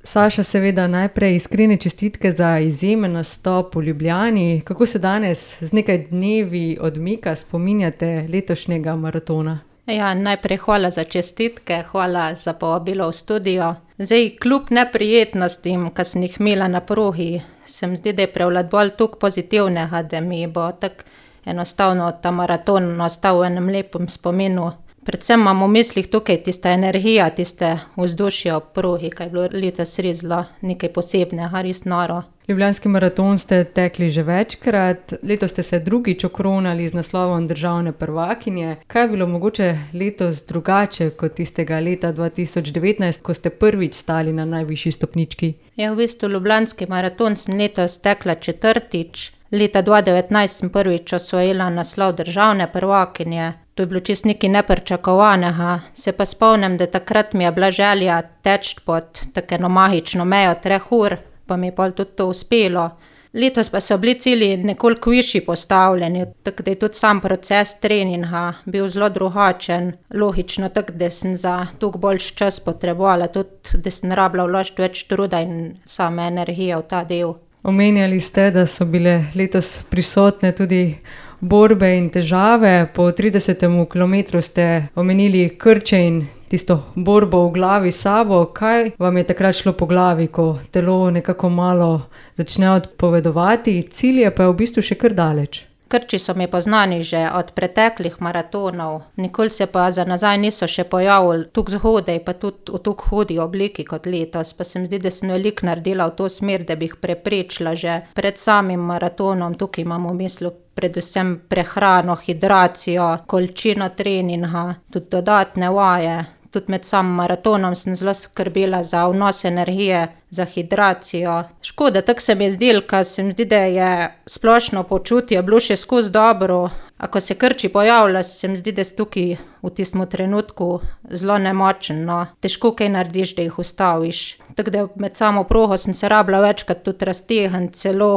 Saša, seveda najprej iskrene čestitke za izjemen nastop v Ljubljani. Kako se danes z nekaj dnevi odmika spominjate letošnjega maratona? Ja, najprej hvala za čestitke, hvala za povabilo v studio. Zdaj, kljub neprijetnostim, ki sem jih imela na progi, se mi zdi, da je prevladoval toliko pozitivnega, da mi bo tako enostavno ta maraton ostal v enem lepem spominu. Predvsem imam v mislih tukaj tista energija, tiste vzdušje ob progi, ki je bilo letos res zelo nekaj posebnega, res noro. Ljubljanski maraton ste tekli že večkrat, letos ste se drugič okronali z naslovom državne prvakinje. Kaj je bilo mogoče letos drugače kot tistega leta 2019, ko ste prvič stali na najvišji stopnički? Ja, v bistvu Ljubljanski maraton sem letos tekla četrtič. Leta 2019 sem prvič osvojila naslov državne prvakinje. To je bilo čisto nekaj nepričakovanega. Se pa spomnim, da takrat mi je bila želja teči pod tako eno magično mejo 3 ur, pa mi je pol tudi to uspelo. Letos pa so bili cilji nekoliko višji postavljeni, tako da je tudi sam proces treninga bil zelo drugačen. Logično tako, da sem za toliko boljši čas potrebovala, tudi da sem rabila vložiti več truda in same energije v ta del. Omenjali ste, da so bile letos prisotne tudi borbe in težave. Po 30. kilometru ste omenili krče in tisto borbo v glavi s sabo. Kaj vam je takrat šlo po glavi, ko telo nekako malo začne odpovedovati, cilj je pa v bistvu še kar daleč? Krči so mi poznani že od preteklih maratonov, nikoli se pa za nazaj niso še pojavili tako zgodaj, pa tudi v tako hudi obliki kot letos. Pa se mi zdi, da sem veliko naredila v to smer, da bi jih preprečila že pred samim maratonom. Tukaj imam v mislu predvsem prehrano, hidracijo, količino treninga, tudi dodatne vaje. Tudi med samim maratonom sem zelo skrbela za vnos energije, za hidracijo. Škoda, tako se mi je zdelo, ker se mi zdi, da je splošno počutje bilo še skozi dobro. A ko se krči pojavlja, se mi zdi, da si tukaj v tistem trenutku zelo nemočen, no. Težko kaj narediš, da jih ustaviš. Tako da med samo progo sem se rabila večkrat tudi raztegniti, celo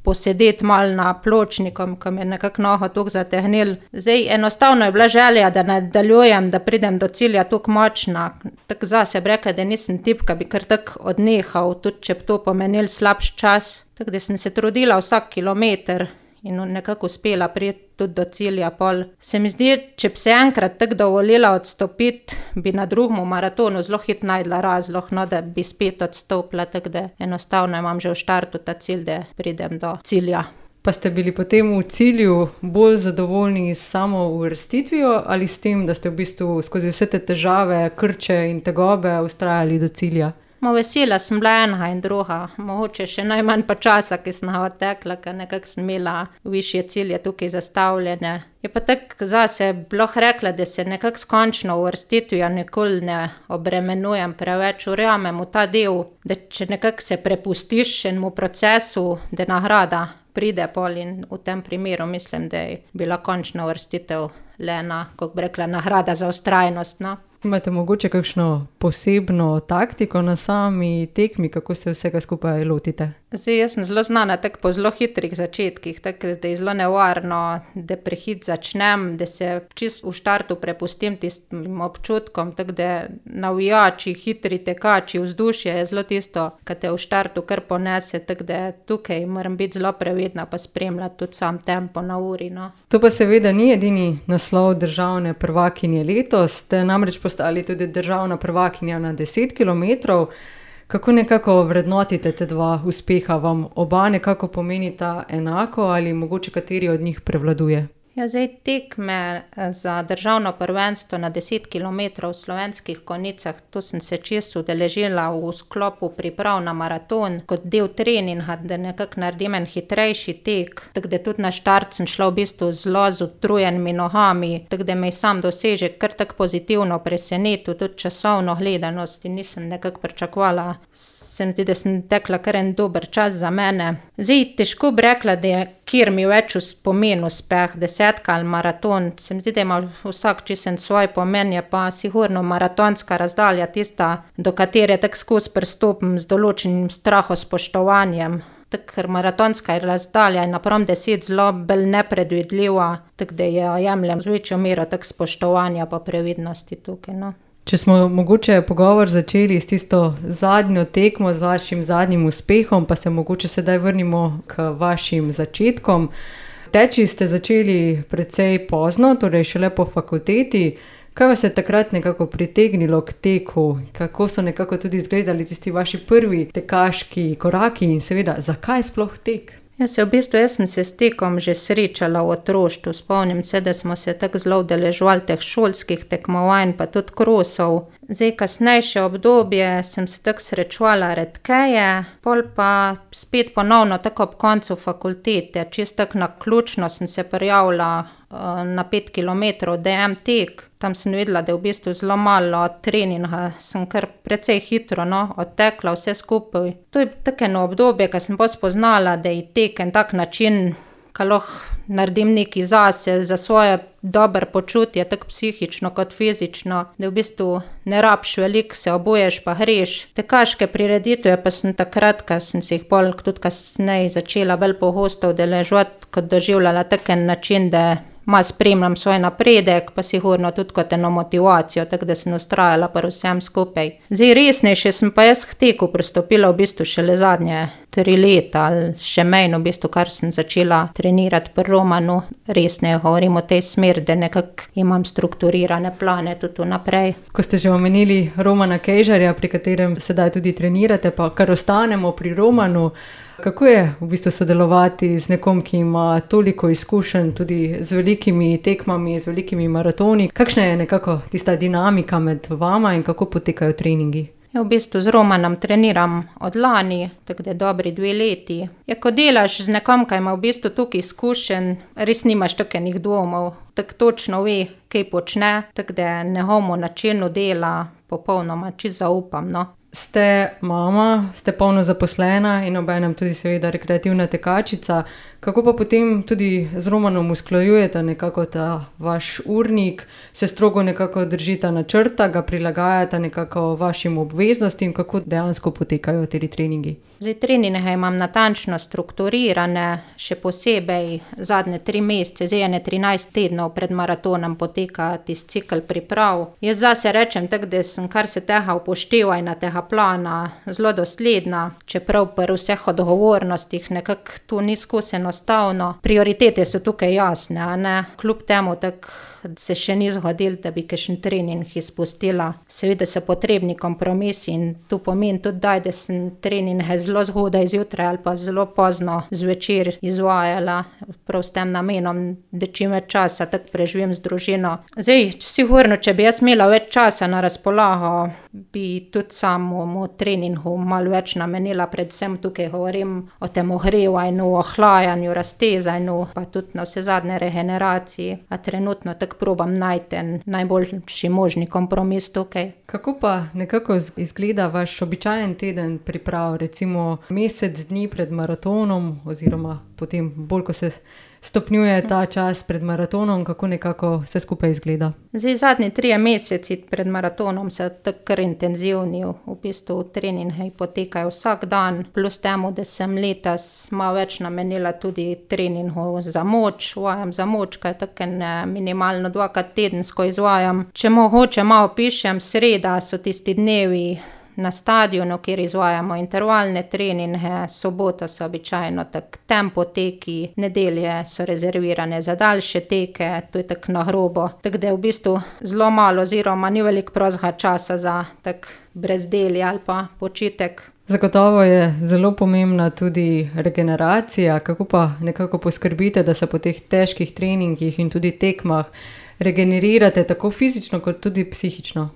posedeti malo na pločnikom, ko mi je nekako nogo toliko zategnilo. Zdaj, enostavno je bila želja, da nadaljujem, da pridem do cilja toliko močna. Tako zase bi rekla, da nisem tip, ki bi kar tako odnehal, tudi če bi to pomenil slabši čas. Tako da sem se trudila vsak kilometer in nekako uspela priti tudi do cilja pol. Se mi zdi, če bi se enkrat tako dovolila odstopiti, bi na drugem maratonu zelo hitro našla razlog, no, da bi spet odstopila, tako da enostavno imam že v štartu ta cilj, da pridem do cilja. Pa ste bili potem v cilju bolj zadovoljni s samo uvrstitvijo ali s tem, da ste v bistvu skozi vse te težave, krče in tegobe vztrajali do cilja? Vesela sem bila enega in druga, mogoče še najmanj pa časa, ki sem ga odtekla, ker nekako sem imela višje cilje tukaj zastavljene. Je pa tako zase bilo rekla, da se nekako s končno uvrstitvijo nikoli ne obremenujem preveč, verjamem v ta del, da če nekako se prepustiš enemu procesu, da nagrada pride pol, in v tem primeru mislim, da je bila končna uvrstitev le ena, kako bi rekla, nagrada za vztrajnost, no. Imate mogoče kakšno posebno taktiko na sami tekmi, kako se vsega skupaj lotite? Zdaj, jaz sem zelo znana tako po zelo hitrih začetkih, tako da je zelo nevarno, da prehitro začnem, da se čisto v štartu prepustim tistim občutkom, tako da navijači, hitri tekači, vzdušje je zelo tisto, ki te v štartu kar ponese, tako da tukaj moram biti zelo previdna pa spremljati tudi sam tempo na uri, no. To pa seveda ni edini naslov državne prvakinje letos, ste namreč postali tudi državna prvakinja na 10 kilometrov. Kako nekako vrednotite te dva uspeha? Vam oba nekako pomenita enako ali mogoče kateri od njih prevladuje? Ja, zdaj tekme za državno prvenstvo na 10 kilometrov v Slovenskih Konjicah, to sem se čisto udeležila v sklopu priprav na maraton kot del treninga, da nekako naredim en hitrejši tek, tako da tudi na štart sem šla v bistvu zelo z utrujenimi nogami, tako da me je sam dosežek kar tako pozitivno presenetil, tudi časovno gledanost, in nisem nekako pričakovala. Se mi zdi, da sem tekla kar en dober čas za mene. Zdaj, težko bi rekla, da je kjer mi več v spomin uspeh, desetka ali maraton. Se mi zdi, da ima vsak čisto svoj pomen, je pa sigurno maratonska razdalja tista, do katere tako skozi pristopim z določenim strahospoštovanjem. Tako, ker maratonska razdalja je napram 10 zelo bolj nepredvidljiva, tako da jo jemljem z večjo mero tako spoštovanja pa previdnosti tukaj, no. Če smo mogoče pogovor začeli s tisto zadnjo tekmo, z vašim zadnjim uspehom, pa se mogoče sedaj vrnimo k vašim začetkom. Teči ste začeli precej pozno, torej šele po fakulteti. Kaj vas je takrat nekako pritegnilo k teku? Kako so nekako tudi izgledali tisti vaši prvi tekaški koraki in seveda, zakaj sploh tek? Jaz sem se s tekom že srečala v otroštvu. Spomnim se, da smo se tako zelo udeleževali teh šolskih tekmovanj, pa tudi krosov. Kasnejše obdobje sem se tako srečevala redkeje, pol pa spet ponovno tako ob koncu fakultete. Čisto tako naključno sem se prijavila na 5 kilometrov DM tek. Tam sem vedela, da je v bistvu zelo malo treninga, sem kar precej hitro odtekla vse skupaj. To je tako eno obdobje, ko sem bolj spoznala, da je tek en tak način, ko lahko naredim nekaj zase, za svoje dobro počutje, tako psihično kot fizično, da v bistvu ne rabiš veliko, se obuješ pa greš. Tekaške prireditve pa sem takrat, ko sem se jih pol tudi kasneje začela bolj pogosto udeleževati, kot doživljala tak en način, da malo spremljam svoj napredek, pa sigurno tudi kot eno motivacijo, tako da sem vztrajala pri vsem skupaj. Resnejše sem pa jaz k teku pristopila v bistvu šele zadnje 3 leta ali še manj, v bistvu, kar sem začela trenirati pri Romanu. Resneje govorim o tej smeri, da nekako imam strukturirane plane tudi vnaprej. Ko ste že omenili Romana Kejžarja, pri katerem sedaj tudi trenirate, pa kar ostanemo pri Romanu, kako je v bistvu sodelovati z nekom, ki ima toliko izkušenj tudi z velikimi tekmami, z velikimi maratoni? Kakšna je nekako tista dinamika med vama in kako potekajo treningi? V bistvu z Romanom treniram od lani, tako da dobri 2 leti. Ko delaš z nekom, ki ima v bistvu toliko izkušenj, res nimaš toliko dvomov, tako točno ve, kaj počne, tako da njegovemu načinu dela popolnoma čisto zaupam. Ste mama, ste polno zaposlena in obenem tudi seveda rekreativna tekačica. Kako pa potem tudi z Romanom usklajujete nekako ta vaš urnik, se strogo nekako držite načrta, ga prilagajate nekako vašim obveznostim, kako dejansko potekajo ti treningi? Treninge imam natančno strukturirane, še posebej zadnje 3 mesece, 13 tednov pred maratonom poteka tisti cikel priprav. Jaz zase rečem tako, da sem kar se tega upoštevanja, tega plana, zelo dosledna, čeprav pri vseh odgovornostih nekako to ni skozi enostavno. Prioritete so tukaj jasne, a ne? Kljub temu tako se še ni zgodilo, da bi kakšen trening izpustila. Seveda so potrebni kompromisi in to pomeni tudi, da sem treninge zelo zgodaj zjutraj ali pa zelo pozno zvečer izvajala, prav s tem namenom, da čim več časa tako preživim z družino. Sigurno, če bi jaz imela več časa na razpolago, bi tudi samemu treningu malo več namenila, predvsem tukaj govorim o tem ogrevanju, ohlajanju, raztezanju, pa tudi na vse zadnje regeneraciji. A trenutno tako probam najti najboljši možni kompromis tukaj. Kako pa nekako izgleda vaš običajen teden priprav, recimo mesec dni pred maratonom oziroma potem bolj, ko se stopnjuje ta čas pred maratonom, kako nekako vse skupaj izgleda? Zadnji 3 meseci pred maratonom so tako kar intenzivni, v bistvu treningi potekajo vsak dan, plus temu, da sem letos malo več namenila tudi treningu za moč, vajam za moč, kaj tako minimalno 2-krat tedensko izvajam. Če mogoče malo pišem, sreda so tisti dnevi na stadionu, kjer izvajamo intervalne treninge, sobota so običajno tako tempo teki, nedelje so rezervirane za daljše teke, to je tako na grobo. Tako da je v bistvu zelo malo oziroma ni veliko prostega časa za tak brezdelje ali pa počitek. Zagotovo je zelo pomembna tudi regeneracija. Kako pa nekako poskrbite, da se po teh težkih treningih in tudi tekmah regenerirate tako fizično kot tudi psihično?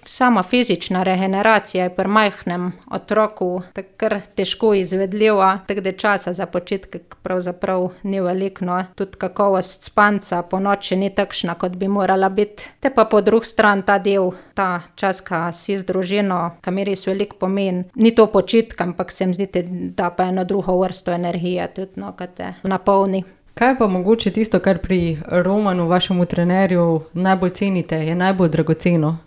Sama fizična regeneracija je pri majhnem otroku tako kar težko izvedljiva, tako da časa za počitek pravzaprav ni veliko. Tudi kakovost spanca po noči ni takšna, kot bi morala biti. Te pa po drugi strani ta del, ta čas, ko si z družino, ki mi res veliko pomeni. Ni to počitek, ampak se mi zdi, da pa eno drugo vrsto energije tudi, ko te napolni. Kaj pa mogoče tisto, kar pri Romanu, vašemu trenerju, najbolj cenite, je najbolj dragoceno?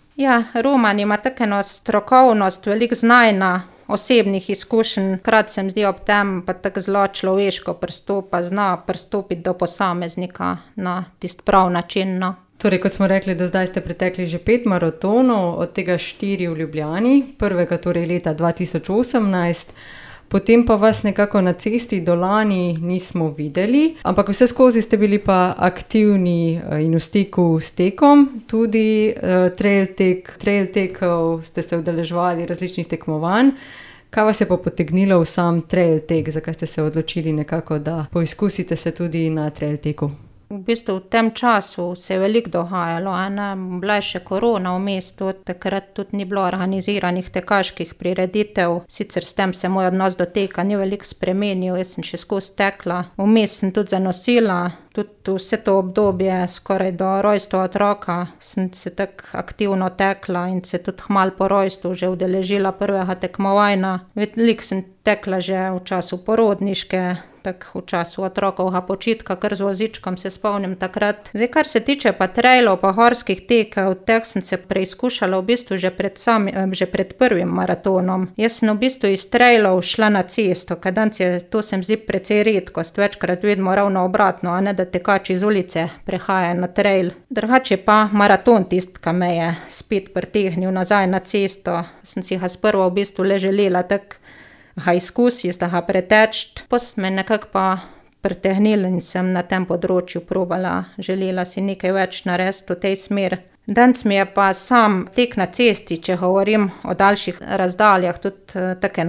Roman ima tako eno strokovnost, veliko znanja, osebnih izkušenj, hkrati se mi zdi ob tem pa tako zelo človeško pristopa, zna pristopiti do posameznika na tisti prav način. Torej, kot smo rekli, do zdaj ste pretekli že 5 maratonov, od tega 4 v Ljubljani, prvega torej leta 2018, potem pa vas nekako na cesti do lani nismo videli, ampak vse skozi ste bili pa aktivni in v stiku s tekom, tudi trail tekov ste se udeleževali različnih tekmovanj. Kaj vas je pa potegnilo v sam trail tek, zakaj ste se odločili nekako, da poizkusite se tudi na trail teku? V bistvu v tem času se je veliko dogajalo, bila je še korona v mestu, takrat tudi ni bilo organiziranih tekaških prireditev, sicer s tem se moj odnos do teka ni veliko spremenil, jaz sem še skozi tekla, vmes sem tudi zanosila, tudi vse to obdobje, skoraj do rojstva otroka, sem se tako aktivno tekla in se tudi kmalu po rojstvu že udeležila prvega tekmovanja. Veliko sem tekla že v času porodniške, tako v času otrokovega počitka, kar z vozičkom se spomnim takrat. Zdaj, kar se tiče pa trailov pa horskih tekov, teh sem se preizkušala v bistvu že pred prvim maratonom. Jaz sem v bistvu iz trailov šla na cesto, kaj danes je, to se mi zdi precej redkost, večkrat vidimo ravno obratno, a ne da tekači iz ulice prehajajo na trail. Drugače pa maraton tisti, ki me je spet pritegnil nazaj na cesto, sem si ga sprva v bistvu le želela tako ga izkusiti, da ga preteči, pa sem me nekako pa pritegnila in sem na tem področju probala, želela si nekaj več narediti v tej smeri. Danes mi je pa sam tek na cesti, če govorim o daljših razdaljah, tudi tako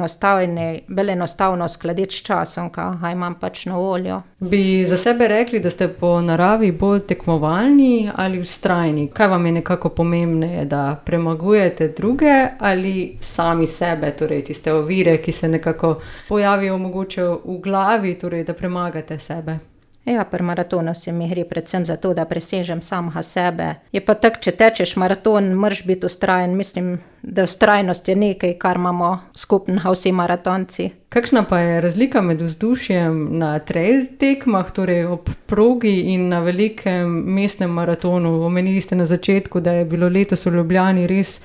bolj enostavno uskladiti s časom, ki ga imam pač na voljo. Bi za sebe rekli, da ste po naravi bolj tekmovalni ali vztrajni? Kaj vam je nekako pomembneje, da premagujete druge ali sami sebe, torej tiste ovire, ki se nekako pojavijo mogoče v glavi, torej da premagate sebe? Ja, pri maratonu se mi gre predvsem za to, da presežem samega sebe. Je pa tako, če tečeš maraton, moraš biti vztrajen. Mislim, da vztrajnost je nekaj, kar imamo skupnega vsi maratonci. Kakšna pa je razlika med vzdušjem na trail tekmah, torej ob progi in na velikem mestnem maratonu? Omenili ste na začetku, da je bilo letos v Ljubljani res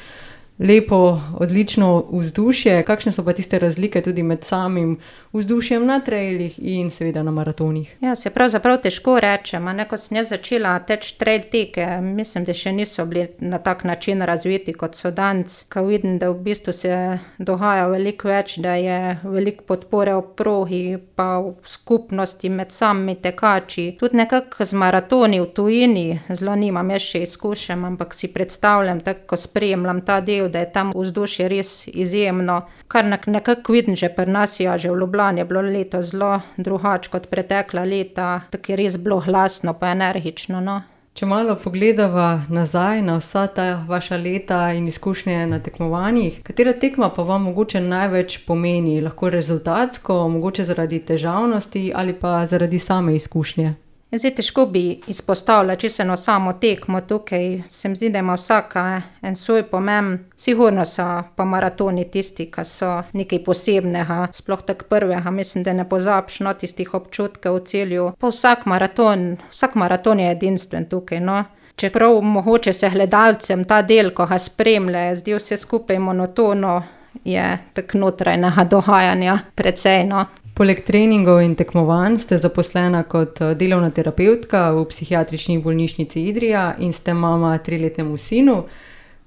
lepo, odlično vzdušje. Kakšne so pa tiste razlike tudi med samim vzdušjem na trailih in seveda na maratonih? Ja, se pravzaprav težko rečem, ko sem jaz začela teči trail teke, mislim, da še niso bili na tak način razviti, kot so danes, ko vidim, da v bistvu se dogaja veliko več, da je veliko podpore v progi, pa v skupnosti med samimi tekači. Tudi nekako z maratoni v tujini, zelo nimam jaz še izkušenj, ampak si predstavljam, tako ko spremljam ta del, da je tam vzdušje res izjemno. Kar nekako vidim že pri nas, ja, že v Ljubljani je bilo leto zelo drugače kot pretekla leta, tako je res bilo glasno pa energično, no. Če malo pogledava nazaj na vsa ta vaša leta in izkušnje na tekmovanjih, katera tekma pa vam mogoče največ pomeni? Lahko rezultatsko, mogoče zaradi težavnosti ali pa zaradi same izkušnje? Zdaj, težko bi izpostavila čisto eno samo tekmo tukaj, se mi zdi, da ima vsaka en svoj pomen. Sigurno so pa maratoni tisti, ki so nekaj posebnega, sploh tako prvega, mislim, da ne pozabiš tistih občutkov v celju. Pa vsak maraton je edinstven tukaj, no. Čeprav mogoče se gledalcem ta del, ko ga spremlja, zdi vse skupaj monotono, je tako notranjega dogajanja precej, no. Poleg treningov in tekmovanj ste zaposlena kot delovna terapevtka v psihiatrični bolnišnici Idrija in ste mama 3-letnemu sinu.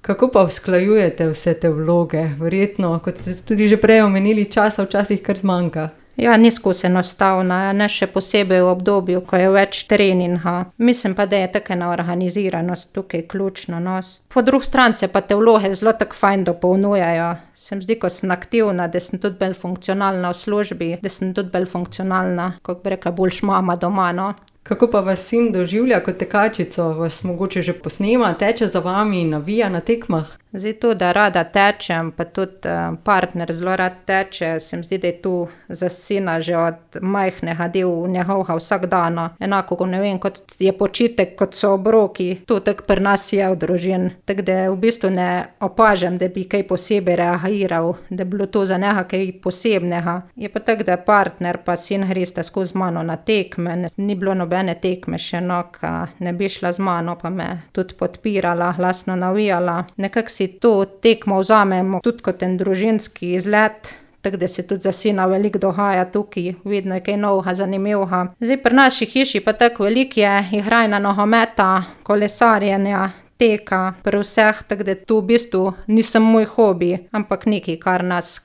Kako pa usklajujete vse te vloge? Verjetno, kot ste tudi že prej omenili, časa včasih kar zmanjka. Ja, ni skozi enostavno, ne še posebej v obdobju, ko je več treninga. Mislim pa, da je tako ena organiziranost tukaj ključna, no. Po drugi strani se pa te vloge zelo tako fajn dopolnjujejo. Se mi zdi, ko sem aktivna, da sem tudi bolj funkcionalna v službi, da sem tudi bolj funkcionalna, kako bi rekla, boljš mama doma, no. Kako pa vas sin doživlja kot tekačico? Vas mogoče že posnema, teče za vami in navija na tekmah? Zdaj to, da rada tečem, pa tudi partner zelo rad teče, se mi zdi, da je tu za sina že od majhnega del njegovega vsakdana. Enako, ko ne vem, kot je počitek, kot so obroki, to tako pri nas je v družini. Tako da v bistvu ne opažam, da bi kaj posebej reagiral, da bi bilo to za njega kaj posebnega. Je pa tako, da partner pa sin gresta skozi mano na tekme, ni bilo nobene tekme še, no, ka ne bi šla z mano, pa me tudi podpirala, glasno navijala. Nekako si to tekmo vzamemo tudi kot en družinski izlet, tako da se tudi za sina veliko dogaja tukaj, vedno je kaj novega, zanimivega. Zdaj pri naši hiši pa tako veliko je igranja nogometa, kolesarjenja, teka, pri vseh, tako da to v bistvu ni samo moj hobi, ampak nekaj,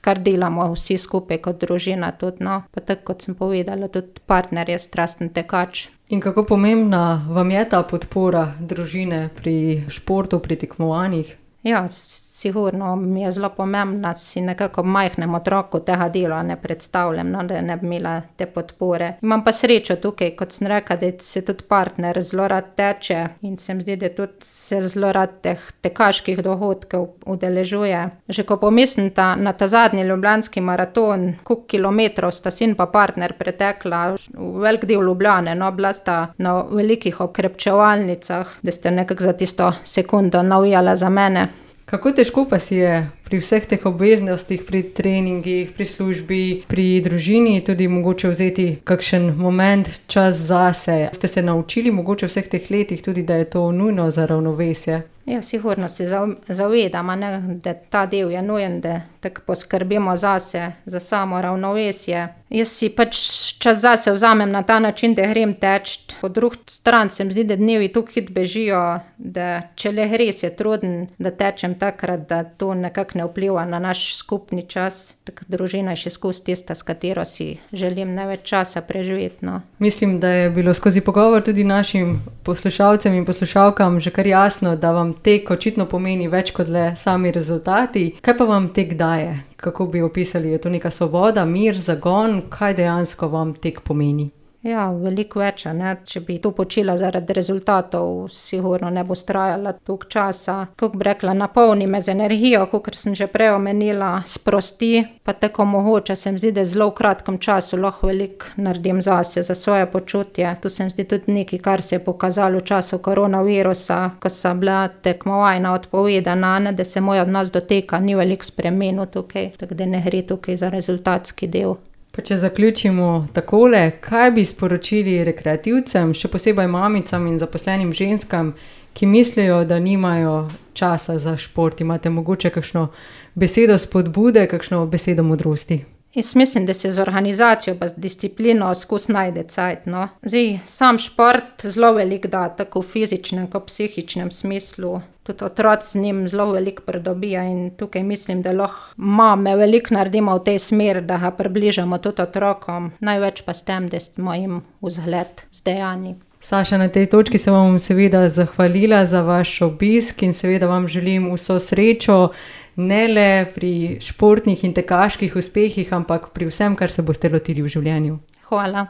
kar delamo vsi skupaj kot družina tudi, no. Pa tako, kot sem povedala, tudi partner je strasten tekač. In kako pomembna vam je ta podpora družine pri športu, pri tekmovanjih? Ja, sigurno mi je zelo pomembna, si nekako majhnem otroku tega dela ne predstavljam, no, da ne bi imela te podpore. Imam pa srečo tukaj, kot sem rekla, da se tudi partner zelo rad teče in se mi zdi, da tudi se zelo rad teh tekaških dogodkov udeležuje. Že ko pomislim na ta zadnji ljubljanski maraton, koliko kilometrov sta sin pa partner pretekla, v velik del Ljubljane, no, bila sta na velikih okrepčevalnicah, da ste nekako za tisto sekundo navijala za mene. Kako težko pa si je pri vseh teh obveznostih, pri treningih, pri službi, pri družini tudi mogoče vzeti kakšen moment, čas zase? Ste se naučili mogoče v vseh teh letih tudi, da je to nujno za ravnovesje? Ja, sigurno se zavedam, da ta del je nujen, da tako poskrbimo zase, za samo ravnovesje. Jaz si pač čas zase vzamem na ta način, da grem teč. Po drugi strani se mi zdi, da dnevi tako hitro bežijo, da če le res je truden, da tečem takrat, da to nekako ne vpliva na naš skupni čas. Tako družina je še skozi tista, s katero si želim največ časa preživeti, no. Mislim, da je bilo skozi pogovor tudi našim poslušalcem in poslušalkam že kar jasno, da vam tek očitno pomeni več kot le sami rezultati. Kaj pa vam tek daje? Kako bi opisali? Je to neka svoboda, mir, zagon? Kaj dejansko vam tek pomeni? Ja, veliko več, ne. Če bi to počela zaradi rezultatov, sigurno ne bo trajala toliko časa. Kako bi rekla, napolni me z energijo, kakor sem že prej omenila, sprosti, pa tako mogoče se mi zdi, da zelo v kratkem času lahko veliko naredim zase, za svoje počutje. To se mi zdi tudi nekaj, kar se je pokazalo v času koronavirusa, ko so bila tekmovanja odpovedana, ne, da se moj odnos do teka ni veliko spremenil tukaj, tako da ne gre tukaj za rezultatski del. Pa če zaključimo takole, kaj bi sporočili rekreativcem, še posebej mamicam in zaposlenim ženskam, ki mislijo, da nimajo časa za šport? Imate mogoče kakšno besedo spodbude, kakšno besedo modrosti? Jaz mislim, da se z organizacijo pa z disciplino skozi najde cajt, no. Zdaj, sam šport zelo veliko da, tako v fizičnem kot psihičnem smislu. Tudi otroci z njim zelo veliko pridobijo in tukaj mislim, da lahko mame veliko naredimo v tej smeri, da ga približamo tudi otrokom. Največ pa s tem, da smo jim vzgled z dejanji. Saša, na tej točki se vam seveda zahvalila za vaš obisk in seveda vam želim vso srečo, ne le pri športnih in tekaških uspehih, ampak pri vsem, kar se boste lotili v življenju. Hvala.